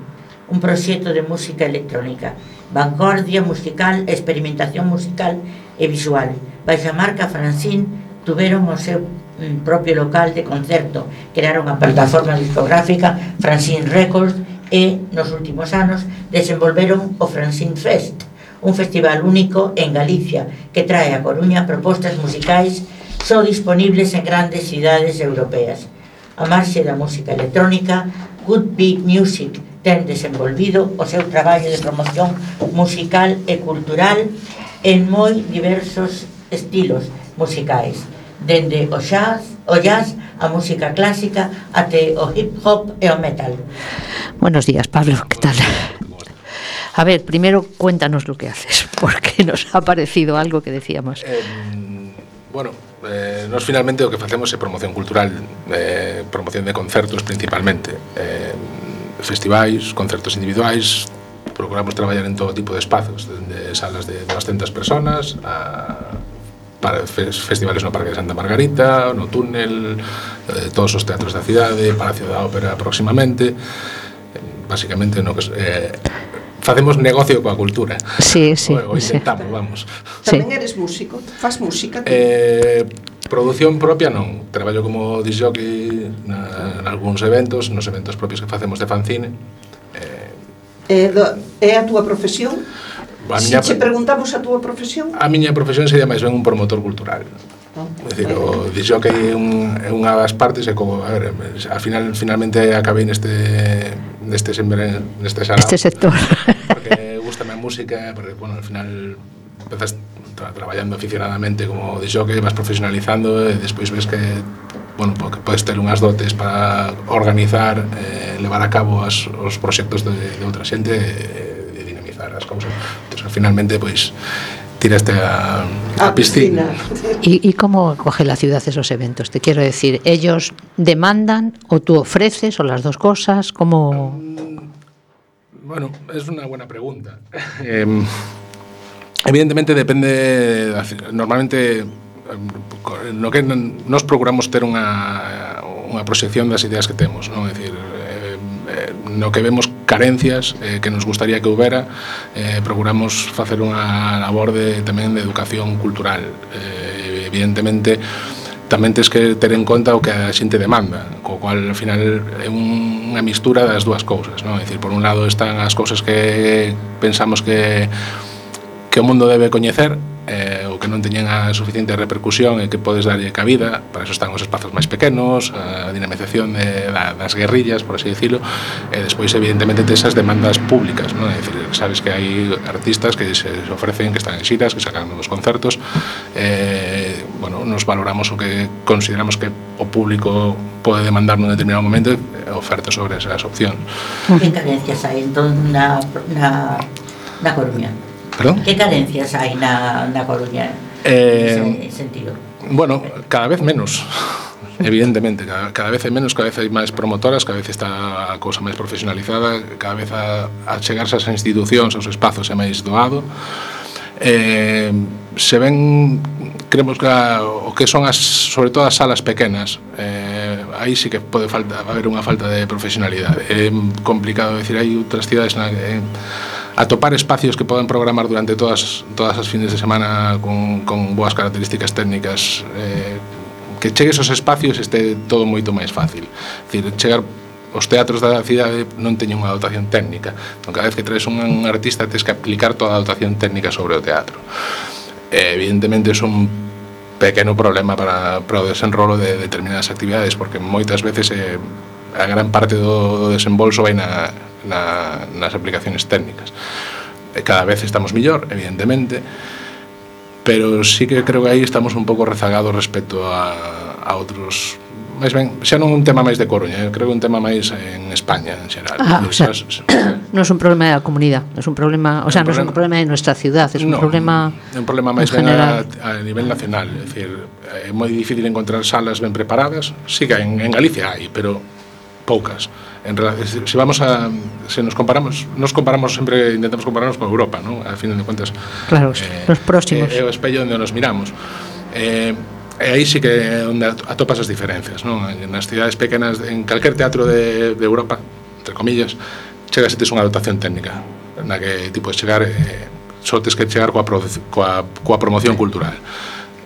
un proxecto de música electrónica, vanguardia musical, experimentación musical e visual. Baixa marca Fanzine tuveron o seu mm, propio local de concerto, crearon a plataforma discográfica Fanzine Records e, nos últimos anos, desenvolveron o Fanzine Fest, un festival único en Galicia que trae a Coruña propostas musicais só disponibles en grandes cidades europeas. A marxe da música electrónica, Could Be Music ten desenvolvido o seu traballo de promoción musical e cultural en moi diversos estilos musicais, dende o jazz, o jazz, a música clásica até o hip hop e o metal. Buenos días, Pablo, ¿qué tal? A ver, primero cuéntanos lo que haces, porque nos ha parecido algo que decíamos. Eh, Bueno, eh, nos finalmente o que facemos é promoción cultural, eh, promoción de concertos principalmente, eh, festivais, concertos individuais. Procuramos traballar en todo tipo de espazos, desde salas de doscientas personas a para festivales no Parque de Santa Margarita, no Túnel, eh, todos os teatros da cidade, Palacio da Ópera próximamente. Básicamente no que eh, facemos negocio coa cultura. Sí, sí. O, o intentamos, sí. Vamos. Tamén eres músico? Fas música? Eh, produción propia non. Traballo como disc jockey na, en algúns eventos, nos eventos propios que facemos de fanzine. Eh, do, é a túa profesión? A Si miña, che preguntamos a túa profesión? A miña profesión sería máis ben un promotor cultural. Oh. É dicir, o disc jockey é, un, é unha das partes e como, a ver, al final finalmente acabei neste neste sempre neste xarao. Este sector. Porque gustame a música, porque bueno, al final empezas tra traballando aficionadamente como disc jockey, vas profesionalizando e despois ves que bueno, porque podes ter unhas dotes para organizar, eh, levar a cabo as, os proxectos de, de outra xente e de dinamizar as cousas. Entón, finalmente, pois, tiraste a, a, a piscina. ¿Y, ¿Y cómo coge la ciudad esos eventos? Te quiero decir, ¿ellos demandan o tú ofreces o las dos cosas? ¿Cómo...? Um, bueno, es una buena pregunta. Eh, evidentemente depende, normalmente no que nos procuramos ter unha, unha proxección das ideas que temos, non? É dicir, eh, no que vemos carencias eh, que nos gustaría que houbera, eh, procuramos facer unha labor de, tamén de educación cultural. Eh, evidentemente, tamén tens que ter en conta o que a xente demanda, co cual, ao final, é un, unha mistura das dúas cousas, non? É dicir, por un lado están as cousas que pensamos que que o mundo debe coñecer, eh, ou que non teñen a suficiente repercusión e que podes darlle cabida. Para eso están os espazos máis pequenos, a dinamización de, da, das guerrillas, por así decirlo, e despois evidentemente esas demandas públicas, non? É dicir, sabes que hai artistas que se ofrecen, que están en xiras, que sacan novos concertos, eh, bueno, nos valoramos o que consideramos que o público pode demandar nun determinado momento e oferta sobre esas opcións. Que carencias hai entón na, na, na Coruña? ¿Perdón? Que carencias hai na, na Coruña eh, nese sentido? Bueno, cada vez menos, evidentemente, cada, cada vez hai menos, cada vez hai máis promotoras, cada vez está a cousa máis profesionalizada, cada vez a, a chegarse ás institucións, aos espazos é máis doado. Eh, se ven, creemos que a, o que son as, sobre todo as salas pequenas, eh, aí sí que pode falta, haber unha falta de profesionalidade. É complicado decir, hai outras cidades na que atopar espacios que podan programar durante todas todas as fines de semana con, con boas características técnicas, eh, que chegue esos espacios este todo moito máis fácil. É dicir, chegar os teatros da cidade non teñen unha dotación técnica, entón cada vez que traes un, un artista tens que aplicar toda a dotación técnica sobre o teatro. Eh, evidentemente é un pequeno problema para, para o desenrolo de determinadas actividades, porque moitas veces eh, a gran parte do, do desembolso vai na Na, nas aplicaciones técnicas. Cada vez estamos millor, evidentemente, pero sí que creo que aí estamos un pouco rezagados respecto a, a outros. máis ben, xa non un tema máis de Coruña, creo que un tema máis en España en xeral. Ah, o sea, non é un problema da comunidade, é un problema, o sea, non é un problema de nuestra ciudad, é un no, problema é un problema máis ben a, a nivel nacional, é dicir, é moi difícil encontrar salas ben preparadas. Sí que en, en Galicia hai, pero poucas. En relación, si vamos a se nos comparamos, nos comparamos sempre, intentamos compararnos con Europa, ¿no? A fin de cuentas, claro, eh, los próximos. É eh, o espello onde nos miramos. Eh, e aí sí que onde atopas as diferencias, ¿no? Nas cidades pequenas, en calquer teatro de, de Europa, entre comillas, chegas e tes unha dotación técnica na que ti podes chegar, eh, só tes que chegar coa, coa, coa promoción cultural.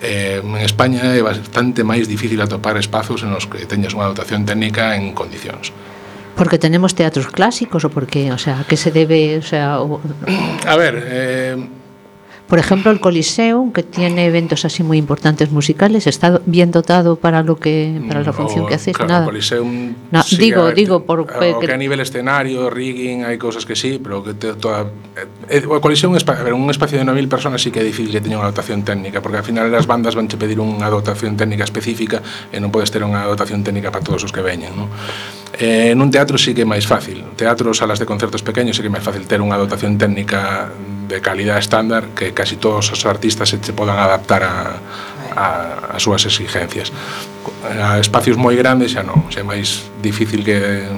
Eh, en España é bastante máis difícil atopar espazos en os que teñas unha dotación técnica en condicións. Porque tenemos teatros clásicos o porque, o sea, ¿a qué se debe? O sea, o... A ver, eh... por ejemplo, el Coliseo, que tiene eventos así muy importantes musicales, ¿está bien dotado para lo que para la función o, que hacéis? Claro, nada. O Coliseum, no, sí, digo, ver, digo por o que, que a nivel escenario, rigging, hai cousas que sí, pero que te, toda eh, o Coliseum, a ver, un espacio de nove mil personas sí que é difícil que teña unha dotación técnica, porque ao final as bandas van che pedir unha dotación técnica específica e non podes ter unha dotación técnica para todos os que veñen, non? Eh, nun teatro sí que é máis fácil. Teatro, salas de concertos pequeños sí que é máis fácil ter unha dotación técnica de calidad estándar, que casi todos os artistas se te podan adaptar a, a, as súas exigencias. A espacios moi grandes xa non, xa é máis difícil que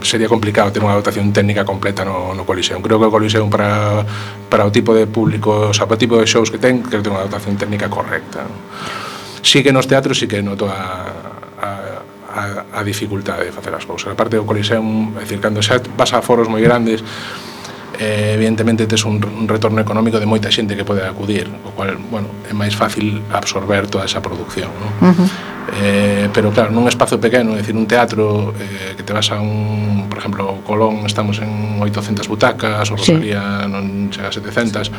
sería complicado ter unha dotación técnica completa no, no Coliseum. Creo que o Coliseum para, para o tipo de público, o sea, para o tipo de shows que ten, creo que ten unha dotación técnica correcta. Sí que nos teatros sí que noto a, a, a, a dificultade de facer as cousas. A parte do Coliseum, é dicir, cando xa vas a foros moi grandes, eh, evidentemente tes un, un retorno económico de moita xente que pode acudir, o cual, bueno, é máis fácil absorber toda esa producción, ¿no? Uh-huh. Eh, pero claro, nun espazo pequeno, é dicir, un teatro eh, que te vas a un, por exemplo, Colón estamos en oitocentas butacas, o Rosalía sí. non chega a setecentas,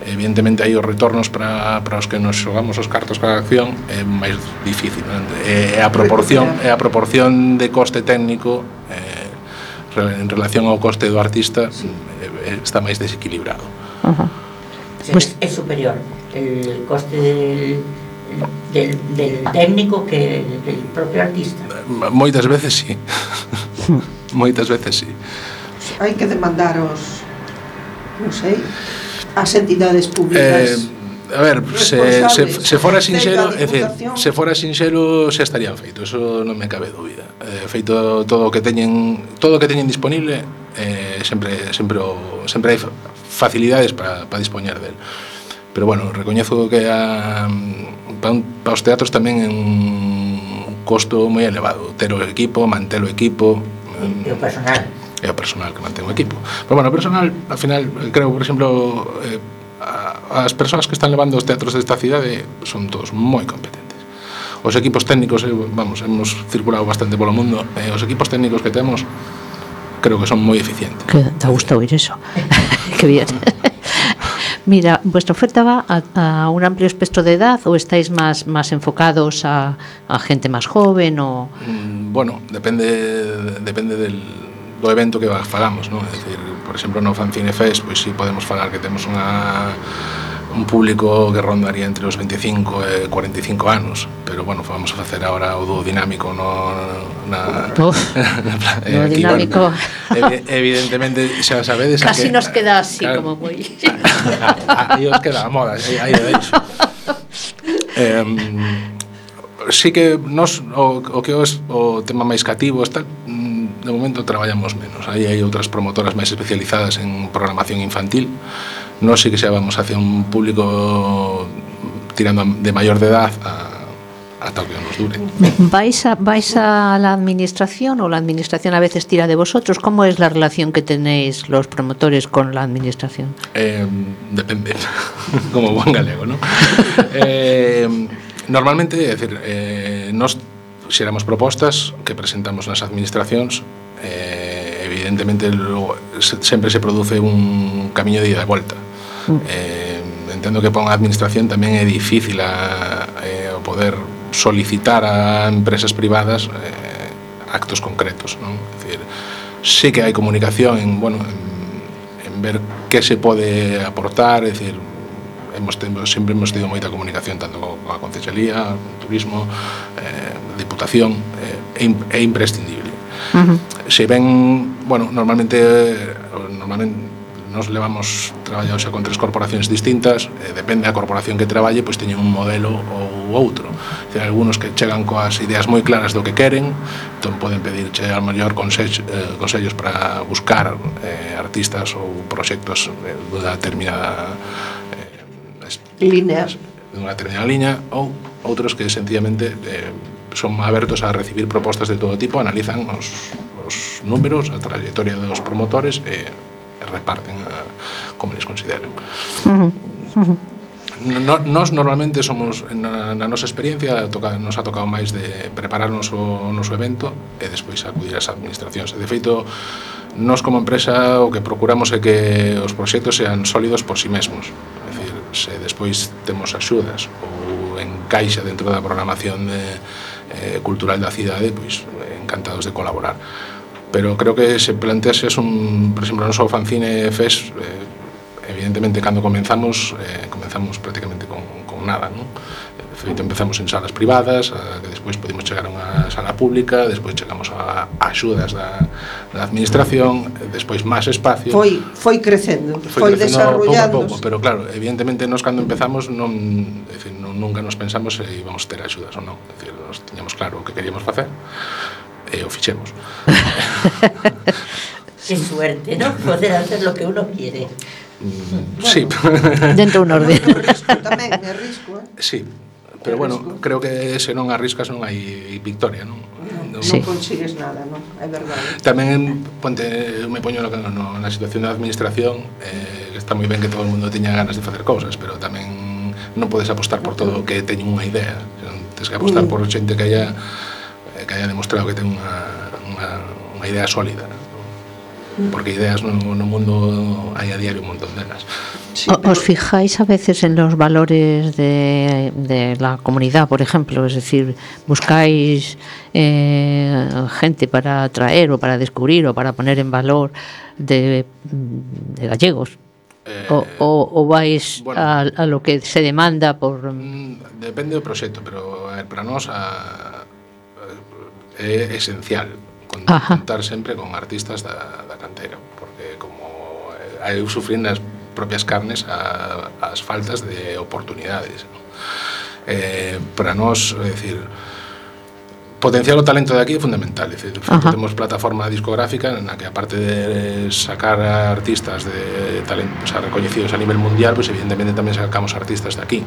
evidentemente aí os retornos para, para os que nos xogamos os cartos cada acción é máis difícil, ¿no? É a proporción, é a proporción de coste técnico eh, en relación ao coste do artista sí. está máis desequilibrado. Uh-huh. Pues é superior el coste del, del, del técnico que del propio artista. Moitas veces sí. Moitas veces sí. Hai que demandar os, non sei, as entidades públicas. Eh, A ver, se, se, se fora sinxelo, é dicir, se fora sinxelo xa estarían feito, eso non me cabe dúbida. Eh, feito todo o que teñen, todo o que teñen disponible, eh, sempre sempre o, sempre hai facilidades para para dispoñer del. Pero bueno, recoñezo que a para, un, para os teatros tamén é un costo moi elevado, ter o equipo, manter o equipo, e o personal. E o personal que mantén o equipo. Pero bueno, o personal, al final, creo, por exemplo, eh, as persoas que están levando os teatros desta cidade son todos moi competentes. Os equipos técnicos, vamos, hemos circulado bastante polo mundo, e os equipos técnicos que temos creo que son moi eficientes. Que te gusta oír eso. Qué bien. Mira, vuestra oferta va a, a un amplio espectro de edad o estáis más, más enfocados a, a gente más joven o... Mm, bueno, depende depende del do evento que fagamos, ¿no? É dicir, por exemplo, no Fanzine Fest, pois si podemos falar que temos unha un público que rondaría entre os veinticinco e cuarenta e cinco anos, pero bueno, vamos a facer agora o dúo dinámico no na Uf, no aquí, dinámico. Bueno, evidentemente xa sabedes casi que, nos queda así claro, como moi aí os queda a moda, aí de hecho. Eh, sí que nos o, o que é o tema máis cativo está de momento traballamos menos. Aí hai outras promotoras máis especializadas en programación infantil. Nós sí que xa vamos hacia un público tirando de maior de edad a, ata o que nos dure. ¿Vais a, vais a la administración o la administración a veces tira de vosotros? ¿Cómo es la relación que tenéis los promotores con la administración? Eh, depende, como buen galego, ¿no? eh, normalmente, é dicir, eh, nos xeramos propostas que presentamos nas administracións, eh, evidentemente lo, se, sempre se produce un camiño de ida e volta. Mm. Eh, entendo que para unha administración tamén é difícil a, eh, o poder solicitar a empresas privadas eh, actos concretos, non? É dicir, sí que hai comunicación en, bueno, en, en ver que se pode aportar, é dicir, hemos tenido, sempre hemos tido moita comunicación tanto con a Concellería, Turismo, eh, Diputación, eh, é imprescindible. Uh-huh. Se ven, bueno, normalmente normalmente nos levamos traballados xa con tres corporacións distintas, eh, depende da corporación que traballe, pois teñen un modelo ou outro. Hai algúns que chegan coas ideas moi claras do que queren, entón poden pedir che ao mellor consellos, eh, consellos para buscar eh, artistas ou proxectos eh, dunha determinada línea, unha determinada liña, ou outros que sencillamente eh, son abertos a recibir propostas de todo tipo, analizan os, os números, a trayectoria dos promotores e eh, reparten a, como les consideren. Uh-huh. Uh-huh. No, nos normalmente somos, na, na nosa experiencia, toca, nos ha tocado máis de prepararnos o noso evento e despois acudir ás administracións. De feito, nos como empresa o que procuramos é que os proxectos sean sólidos por si mesmos. Se despois temos axudas ou encaixa dentro da programación de, eh, cultural da cidade, pois encantados de colaborar. Pero creo que se plantease un, por exemplo, no noso Fanzine Fest, eh, evidentemente cando comenzamos, eh, comenzamos prácticamente con, con nada, ¿no? De feito, empezamos en salas privadas, a, que despois podemos chegar a unha sala pública, despois chegamos a, a axudas da, da administración, despois máis espacio. Foi, foi crecendo, foi, foi desarrollando. Pouco a pouco, pero claro, evidentemente nos cando empezamos non, é dicir, non nunca nos pensamos se íbamos ter axudas ou non. É dicir, nos tiñamos claro o que queríamos facer e o fixemos. Qué suerte, ¿no? Poder hacer lo que uno quiere. Mm, bueno, sí. Dentro de un orden. Risco tamén, é risco, eh? Sí. Pero bueno, creo que se non arriscas non hai victoria, non? Non, sí. non consigues nada, non? É verdade. Tamén, ponte, eu me poño no, no, na situación da administración, eh, está moi ben que todo o mundo teña ganas de facer cousas, pero tamén non podes apostar por todo o que teñen unha idea. Tens que apostar mm. por xente que haya, que haya demostrado que ten unha, unha, unha idea sólida, non? Porque ideas no, no mundo hai a diario un montón delas. Sí, pero... ¿Os fijáis a veces en los valores de, de la comunidad, por ejemplo? Es decir, buscáis eh, gente para atraer o para descubrir o para poner en valor de, de gallegos. Eh, o, o, o vais bueno, a, a lo que se demanda por... Depende do proxecto, pero a ver, para nós a, a, é esencial contar sempre con artistas da, da cantera, porque como eu sufrín nas propias carnes a, as faltas de oportunidades, ¿no? Eh, para nós, é dicir, potenciar o talento de aquí é fundamental. É dicir, temos plataforma discográfica na que, aparte de sacar artistas de talento, o sea, recoñecidos a nivel mundial, pues evidentemente tamén sacamos artistas de aquí,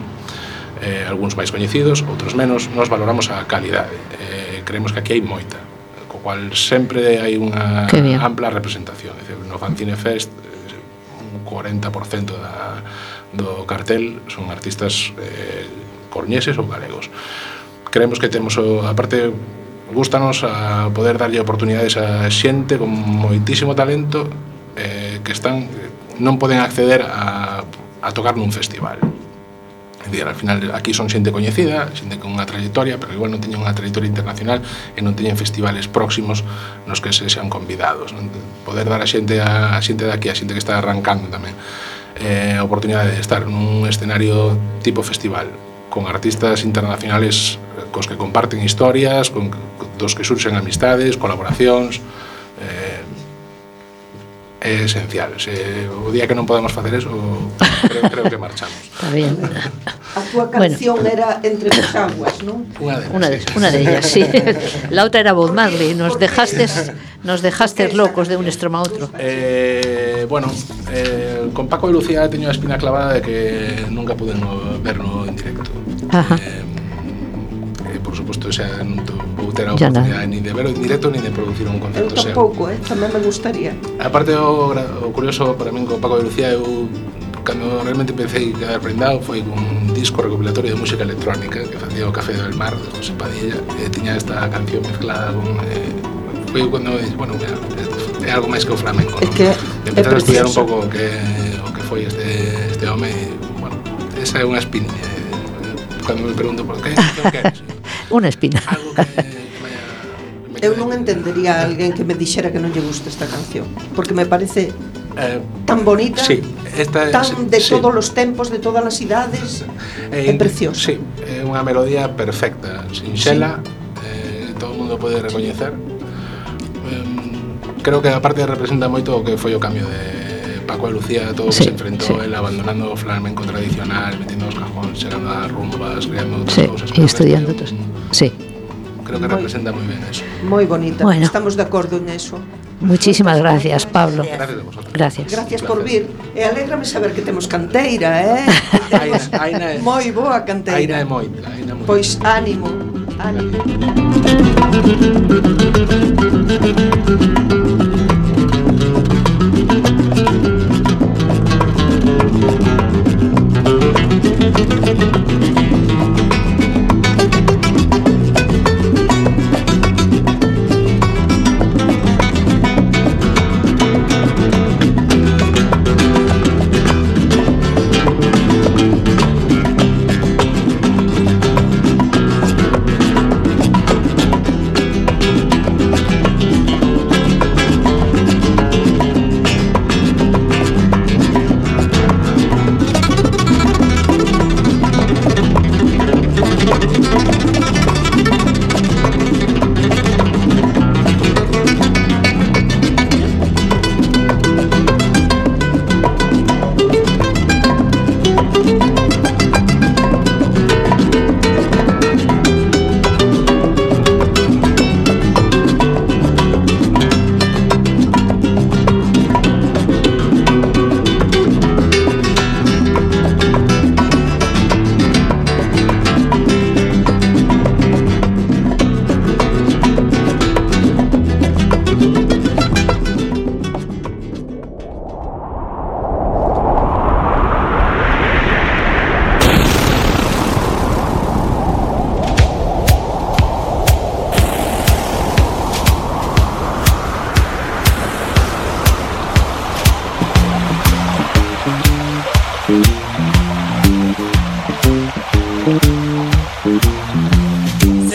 eh, algúns máis coñecidos, outros menos. Nos valoramos a calidade, eh, creemos que aquí hai moita, co cual sempre hai unha ampla representación. É dicir, no Fanzine Fest un cuarenta por cento da, do cartel son artistas eh, corneses ou galegos. Creemos que temos, aparte, gústanos a poder darlle oportunidades a xente con moitísimo talento eh, que están non poden acceder a, a tocar nun festival. É dicir, al final aquí son xente coñecida, xente con unha trayectoria, pero igual non teñen unha trayectoria internacional e non teñen festivales próximos nos que se sean convidados, non? Poder dar a xente a, a xente de aquí, a xente que está arrancando tamén, eh, a oportunidade de estar nun escenario tipo festival con artistas internacionales cos que comparten historias, con dos que surxen amistades, colaboracións, eh, é esencial. Se o día que non podemos facer eso, creo, creo que marchamos. Está bien. A túa canción bueno. era Entre tus aguas, non? Unha de, una de, sí. una de ellas, sí. La outra era Bob Marley. Nos dejastes, nos dejastes locos de un extremo a outro. Eh, bueno, eh, con Paco e Lucía teño a espina clavada de que nunca puden verlo en directo. Ajá. Eh, eh, por suposto, xa non vou ter a oportunidade ni de verlo en directo ni de producir un concerto seu. Eu tampouco, eh? Tamén me gustaría. Aparte, o, o curioso para min con Paco e Lucía, eu cando realmente empecé a quedar prendado foi con un disco recopilatorio de música electrónica que facía o Café del Mar de José Padilla, e tiña esta canción mezclada con eh, foi cando, bueno, mira, é algo máis que o flamenco, é que empezar a estudiar un pouco o que, o que foi este, este home, e, bueno, esa é unha espina, eh, cando me pregunto por que, que queres? Unha espina. Algo que, que vaya, me eu non entendería a alguén que me dixera que non lle gusta esta canción, porque me parece eh, tan bonita, sí, esta, tan de sí. todos os tempos, de todas as idades, é, é preciosa. Sí, é unha melodía perfecta, sinxela, sí. eh, todo o mundo pode recoñecer. Eh, creo que aparte representa moito o que foi o cambio de Paco e Lucía, todo o que sí, se enfrentou, sí. el abandonando o flamenco tradicional, metiendo os cajóns, chegando a rumbas, creando outras sí, cousas. E estudiando outras. Sí. Creo que representa moi ben eso. Moi bonita, bueno. Estamos de acordo en eso. Muchísimas gracias, Pablo. Gracias a vosotros. Gracias. Gracias por vir. E alégrame saber que temos canteira, eh? Temos aina, aina moi boa canteira. Aina é moita, aina moita. Pois ánimo, ánimo.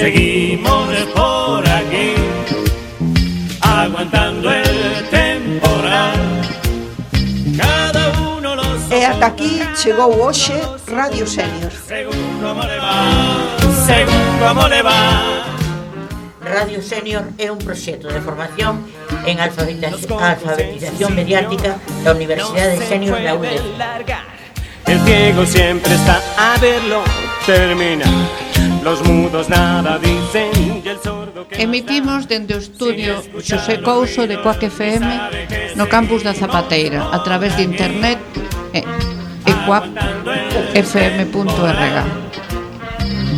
seguimos por aquí, aguantando el temporal. Cada uno lo soporta. E ata aquí chegou hoxe Radio Senior. Según como le va, según como le va. Radio Senior é un proxecto de formación en alfabetización, alfabetización mediática da Universidade Senior da U D C. El ciego siempre está a verlo, termina. Los mudos nada dicen y el sordo que Emitimos dende o estudio Xosé Couso de Coac F M no campus da Zapateira a través de internet e, e coac f m punto r g.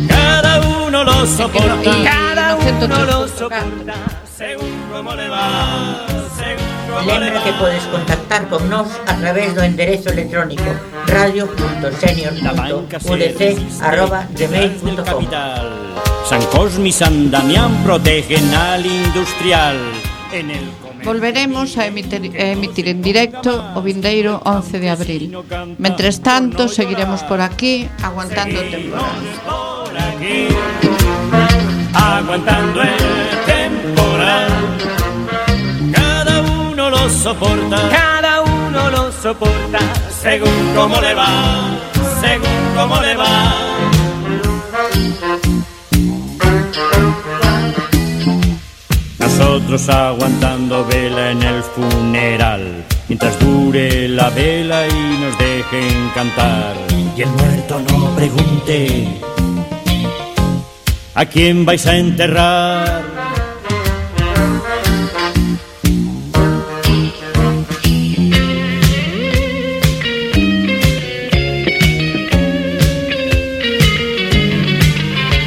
cada uno lo soporta, Y, cada y no uno lo soporta, según como le va, según como le Lembra va. que podes contactar con nós a través do enderezo electrónico radio punto senior punto u d c arroba gmail punto com. San Cosme y San Damián protegen al industrial. En el Volveremos a emitir, a emitir en directo o vindeiro once de abril. Mentres tanto, seguiremos por aquí aguantando o temporal. por aquí, aguantando el temporal. Cada uno lo soporta, cada uno lo soporta, según como le va, según como le va. Nosotros aguantando vela en el funeral, mientras dure la vela y nos dejen cantar. Y el muerto no pregunte a quién vais a enterrar.